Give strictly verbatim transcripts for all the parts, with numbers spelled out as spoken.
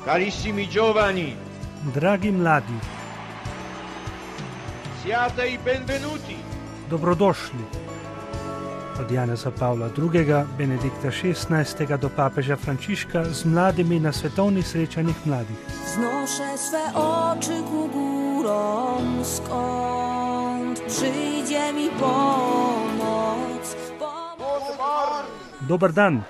Carissimi giovani, Dragi mladi, siate i benvenuti. dobrodošli. Od Janeza Pavla drugega, Benedikta šestnajstega do papeža Frančiška z mladimi na svetovnih srečanjih mladih. Wznoszę swe oczy ku górom, skąd przyjdzie mi pomoc. Pomoc. Dober dan.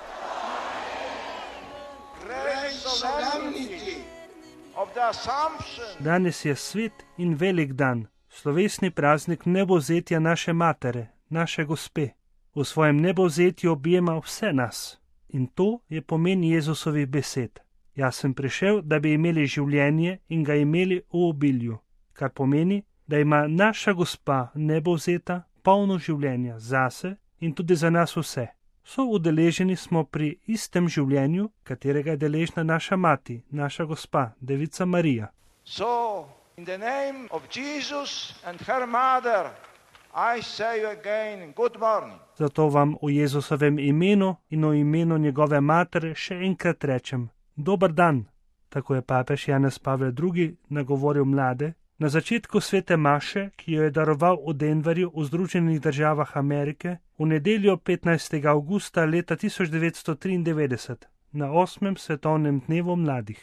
Danes je svet in velik dan, slovesni praznik nebovzetja naše matere, naše gospe. V svojem nebovzetju objema vse nas. In to je pomen Jezusovih besed. Jaz sem prišel, da bi imeli življenje in ga imeli v obilju, kar pomeni, da ima naša gospa nebovzeta polno življenja zase in tudi za nas vse. So udeleženi smo pri istem življenju, katerega je deležna naša mati, naša gospa, Devica Marija. So, in the name of Jesus and her mother, I say again, good morning. Zato vam v Jezusovem imenu in v imenu njegove matere še enkrat rečem, dober dan. Tako je papež Janez Pavel drugi nagovoril mlade na začetku svete maše, ki jo je daroval v Denverju v Združenih državah Amerike v nedeljo petnajstega avgusta leta tisoč devetsto triindevetdeset na osmem svetovnem dnevu mladih.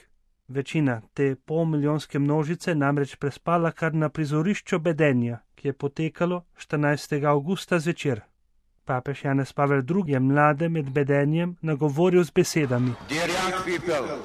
Večina te polmilijonske množice namreč prespala kar na prizorišču bedenja, ki je potekalo štirinajstega avgusta zvečer. Papež Janez Pavel drugi je mlade med bedenjem nagovoril z besedami: Dear young people,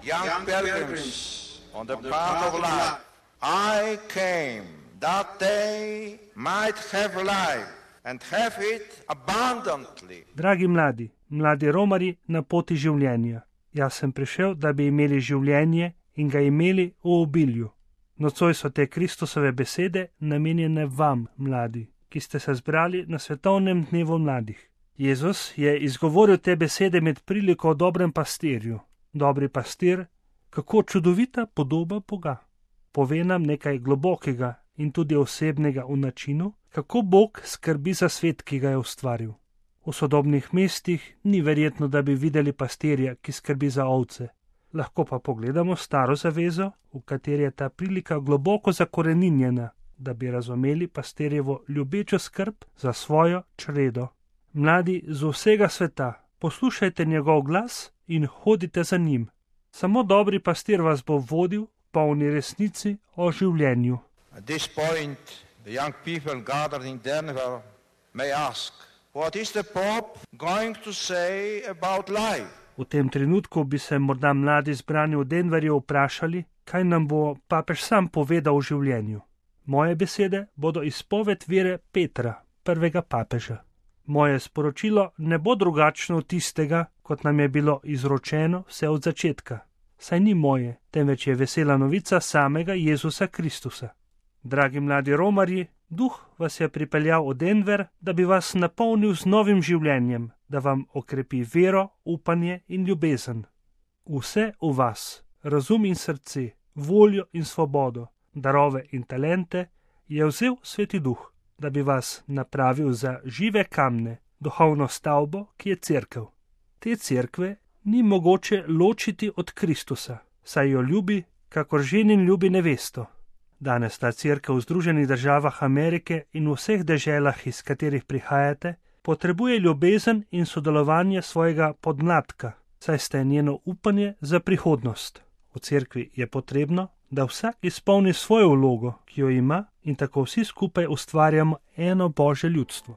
young pilgrims on the path of life, I came that they might have life and have it abundantly. Dragi mladi, mladi romari na poti življenja. Jaz sem prišel, da bi imeli življenje in ga imeli v obilju. Nocoj so te Kristusove besede namenjene vam, mladi, ki ste se zbrali na svetovnem dnevu mladih. Jezus je izgovoril te besede med priliko o dobrem pastirju. Dobri pastir, kako čudovita podoba Boga. Pove nam nekaj globokega in tudi osebnega v načinu, kako Bog skrbi za svet, ki ga je ustvaril. V sodobnih mestih ni verjetno, da bi videli pastirja, ki skrbi za ovce. Lahko pa pogledamo staro zavezo, v kateri je ta prilika globoko zakoreninjena, da bi razumeli pastirjevo ljubečo skrb za svojo čredo. Mladi z vsega sveta, poslušajte njegov glas in hodite za njim. Samo dobri pastir vas bo vodil polni resnici o življenju. At this point, the young people gathered in Denver may ask, what is the Pope going to say about life? V tem trenutku bi se morda mladi zbrani v Denverju vprašali, kaj nam bo papež sam povedal o življenju. Moje besede bodo izpoved vere Petra, prvega papeža. Moje sporočilo ne bo drugačno od tistega, kot nam je bilo izročeno vse od začetka. Saj ni moje, temveč je vesela novica samega Jezusa Kristusa. Dragi mladi romarji, Duh vas je pripeljal v Denver, da bi vas napolnil z novim življenjem, da vam okrepi vero, upanje in ljubezen. Vse v vas, razum in srce, voljo in svobodo, darove in talente, je vzel Sveti Duh, da bi vas napravil za žive kamne, duhovno stavbo, ki je cerkev. Te cerkve ni mogoče ločiti od Kristusa, saj jo ljubi, kakor ženin ljubi nevesto. Danes ta cerkev v Združenih državah Amerike in v vseh deželah, iz katerih prihajate, potrebuje ljubezen in sodelovanje svojega podmladka, saj ste njeno upanje za prihodnost. V cerkvi je potrebno, da vsak izpolni svojo vlogo, ki jo ima, in tako vsi skupaj ustvarjamo eno Božje ljudstvo.